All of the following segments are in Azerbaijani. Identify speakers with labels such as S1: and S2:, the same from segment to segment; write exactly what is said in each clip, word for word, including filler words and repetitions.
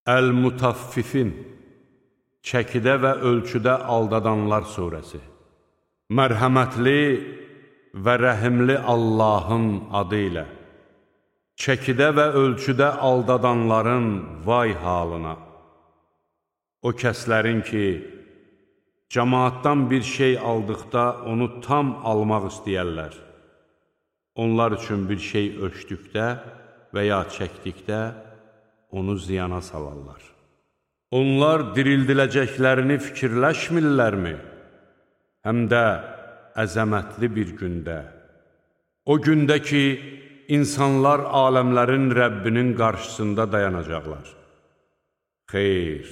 S1: Əl-Mutaffifin, çəkidə və ölçüdə aldadanlar surəsi. Mərhəmətli və rəhimli Allahın adı ilə. Çəkidə və ölçüdə aldadanların vay halına. O kəslərin ki, cəmaatdan bir şey aldıqda onu tam almaq istəyərlər. Onlar üçün bir şey ölçdükdə və ya çəkdikdə onu ziyana salarlar. Onlar dirildiləcəklərini fikirləşmirlərmi? Həm də əzəmətli bir gündə. O gündə ki, insanlar aləmlərin Rəbbinin qarşısında dayanacaqlar. Xeyr,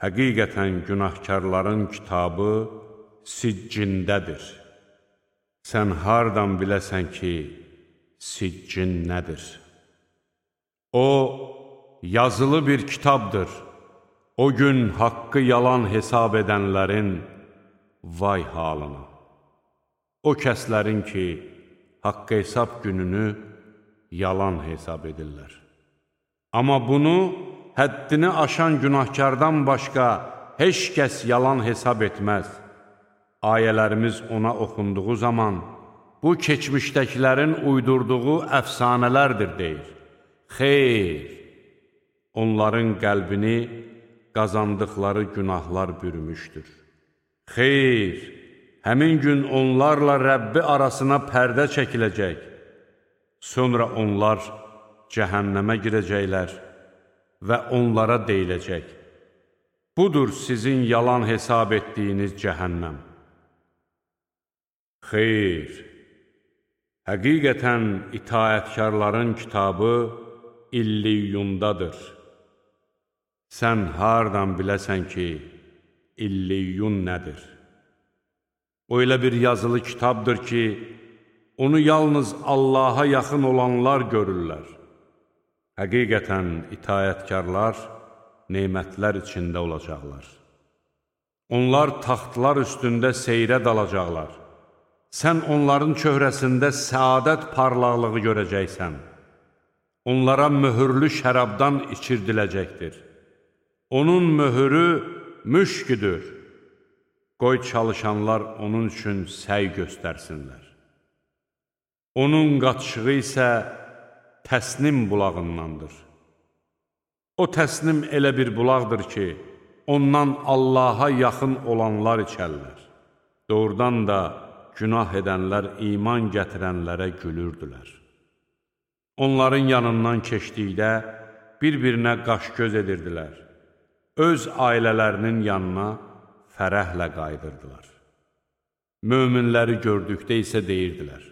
S1: həqiqətən günahkarların kitabı siccindədir. Sən hardan biləsən ki, siccin nədir? O, yazılı bir kitabdır. O gün haqqı yalan hesab edənlərin vay halına. O kəslərin ki, haqqı hesab gününü yalan hesab edirlər. Amma bunu həddini aşan günahkardan başqa heç kəs yalan hesab etməz. Ayələrimiz ona oxunduğu zaman bu keçmişdəkilərin uydurduğu əfsanələrdir deyir. Xeyr, onların qəlbini qazandıqları günahlar bürümüşdür. Xeyr, həmin gün onlarla Rəbbi arasına pərdə çəkiləcək. Sonra onlar cəhənnəmə girəcəklər və onlara deyiləcək. Budur sizin yalan hesab etdiyiniz cəhənnəm. Xeyr, həqiqətən itaətkarların kitabı İlliyyundadır. Sən hardan biləsən ki, İlliyyun nədir? O elə bir yazılı kitabdır ki, onu yalnız Allaha yaxın olanlar görürlər. Həqiqətən itaətkarlar nemətlər içində olacaqlar. Onlar taxtlar üstündə seyrə dalacaqlar. Sən onların çöhrəsində səadət parlaqlığı görəcəksən. Onlara möhürlü şərabdan içirdiləcəkdir. Onun möhürü müşküdür. Qoy çalışanlar onun üçün səy göstərsinlər. Onun qaçığı isə təsnim bulağındandır. O təsnim elə bir bulaqdır ki, ondan Allaha yaxın olanlar içərlər. Doğrudan da günah edənlər iman gətirənlərə gülürdülər. Onların yanından keçdikdə bir-birinə qaş-göz edirdilər. Öz ailələrinin yanına fərəhlə qayıdırdılar. Möminləri gördükdə isə deyirdilər: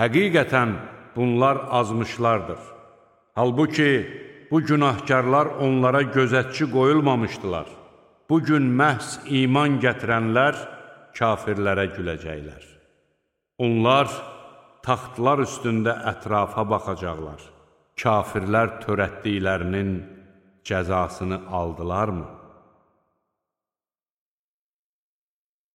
S1: həqiqətən bunlar azmışlardır. Halbuki bu günahkarlar onlara gözətçi qoyulmamışdılar. Bugün məhz iman gətirənlər kafirlərə güləcəklər. Onlar taxtlar üstündə ətrafa baxacaqlar. Kafirlər törətdiklərinin cəzasını aldılarmı?